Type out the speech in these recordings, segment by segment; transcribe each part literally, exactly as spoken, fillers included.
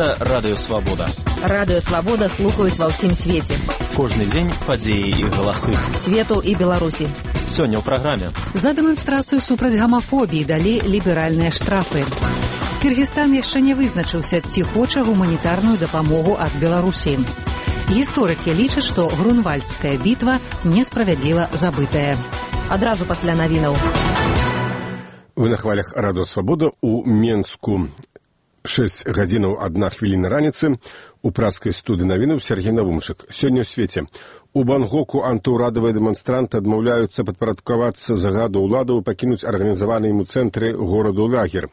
Гэта Радыё Свабода. Радыё Свабода слухаюць ва ўсім свеце. Кожны дзень падзеі і галасы. Свету і Беларусі. Сёння ў праграме. За дэманстрацыю супраць гамафобіі далі ліберальныя штрафы. Кыргызстан яшчэ не вызначыўся, ці хоча гуманітарную дапамогу ад Беларусі. Гісторыкі лічаць, што Грунвальдская бітва несправядліва забытая. Адразу пасля навінаў. Вы на хвалях Радыё Свабода у Менску. шэсць гадзінаў адна хвіліна раніцы. У праскай студыі навінаў Сергей Навумчык. Сёння ў свеце. У Бангоку антыўрадавыя дэманстранты адмаўляюцца падпарадкавацца загаду ўладаў і пакінуць арганізаваны ім у цэнтры гораду лагер.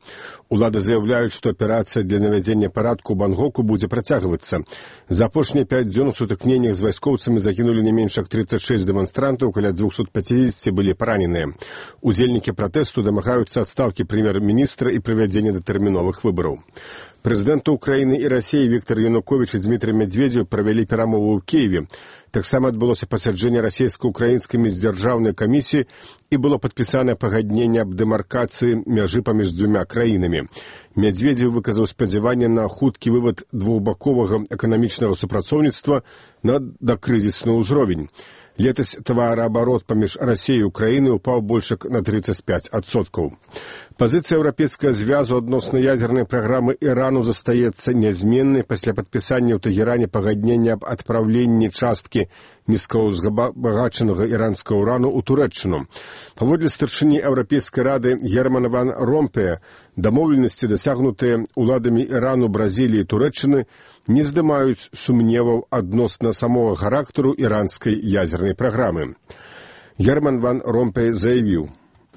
Улады заяўляюць, што аперацыя для навядзення парадку ў Бангоку будзе працягвацца. За апошнія пяць дзён у сутыкненнях з вайскоўцамі загінулі не менш як трыццаць шэсць дэманстрантаў, каля дзвюсот пяцідзесяці былі параненыя. Удзельнікі пратэсту дамагаюцца адстаўкі прэм'ер-міністра і правядзення датэрміновых выбараў. Прэзідэнты Украіны і Расіі Віктор Януковіч і Дмітрий Медведзеў правялі перамовы ў Кіеве. Таксама адбылося пасяджэнне расійска-украінскай міждзяржаўнай камісіі і было падпісанае пагадненне аб дэмаркацыі мяжы паміж дзвюма краінамі. Медведзеў выказаў спадзяванне на хуткі вывад двухбаковага эканамічнага супрацоўніцтва на дакрызісны ўзровень. Летась тавараабарот паміж Расіяй і Украінай упаў больш як на трыццаць пяць адсоткаў. Пазіцыя Еўрапейскага звязу адносна ядзернай праграмы Ірану застаецца нязменнай пасля падпісання ў Тэгеране пагаднення аб адпраўленні часткі нізкаўзбагачанага іранскага ўрану ў Турэччыну. Паводле старшыні Еўрапейскай рады Германа ван Ромпея, дамоўленасці, дасягнутыя ўладамі Ірану, Бразіліі і Турэччыны, не здымаюць сумневаў адносна самога характару іранскай ядзернай праграмы. Герман ван Ромпей заявіў: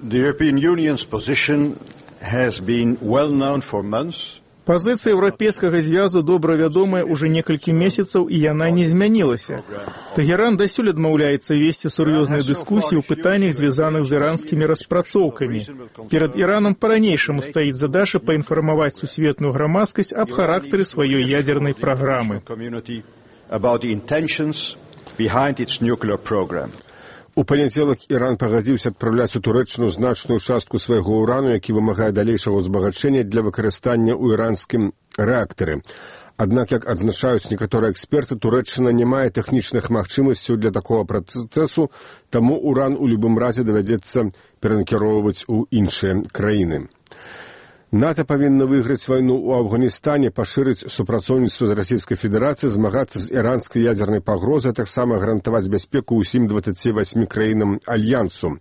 The European Union's position has been well known for months. Пазіцыя Еўрапейскага звязу добра вядомая ўжо некалькі месяцаў, і яна не змянілася. Тэгеран дасюль адмаўляецца весці сур'ёзныя дыскусіі ў пытаннях, звязаных з іранскімі распрацоўкамі. Перад Іранам па-ранейшаму стаіць задача паінфармаваць сусветную грамадскасць аб характары сваёй ядзернай праграмы. У панядзелак Іран пагадзіўся адпраўляць у Турэччыну значную частку свайго ўрану, які вымагае далейшага ўзбагачэння для выкарыстання ў іранскім рэактары. Аднак, як адзначаюць некаторыя эксперты, Турэччына не мае тэхнічных магчымасцяў для такога працэсу, таму ўран у любым разе давядзецца перанакіроўваць у іншыя краіны. НАТО павінна выйграць вайну ў Афганістане, пашырыць супрацоўніцтва з Расійскай Федэрацыяй, змагацца з іранскай ядзернай пагрозай, а таксама гарантаваць бяспеку ўсім дваццаці васьмі краінам Альянсу.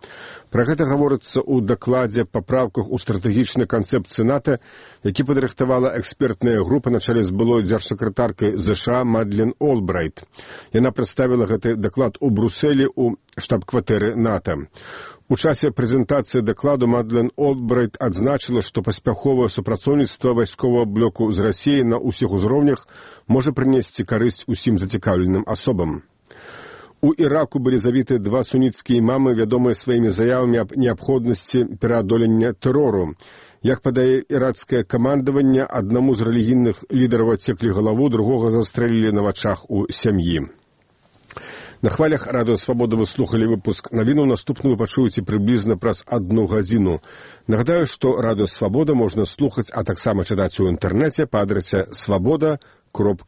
Пра гэта гаворыцца ў дакладзе папраўках у стратэгічнай канцэпцыі НАТО, які падрыхтавала экспертная група на чале з былой дзяржсакратаркай ЗША Мадлен Олбрайт. Яна прадставіла гэты даклад у Брусэлі ў штаб-кватэры НАТО. У часе прэзентацыі дакладу Мадлен Олбрайт адзначыла, што паспяховае супрацоўніцтва вайсковага блоку з Расіяй на ўсіх узроўнях можа прынесці карысць усім зацікаўленым асобам. У Іраку былі забіты два суніцкія імамы, вядомыя сваімі заявамі аб неабходнасці пераадолення тэрору. Як падае іракскае камандаванне, аднаму з рэлігійных лідараў адсеклі галаву, другога застрэлілі на вачах у сям'і. На хвалях Радыё Свабода вы слухалі выпуск навінаў. Наступны вы пачуеце прыблізна праз адну гадзіну. Нагадаю, што Радыё Свабода можна слухаць, а таксама чытаць у інтэрнэце па адрасе свабода кропка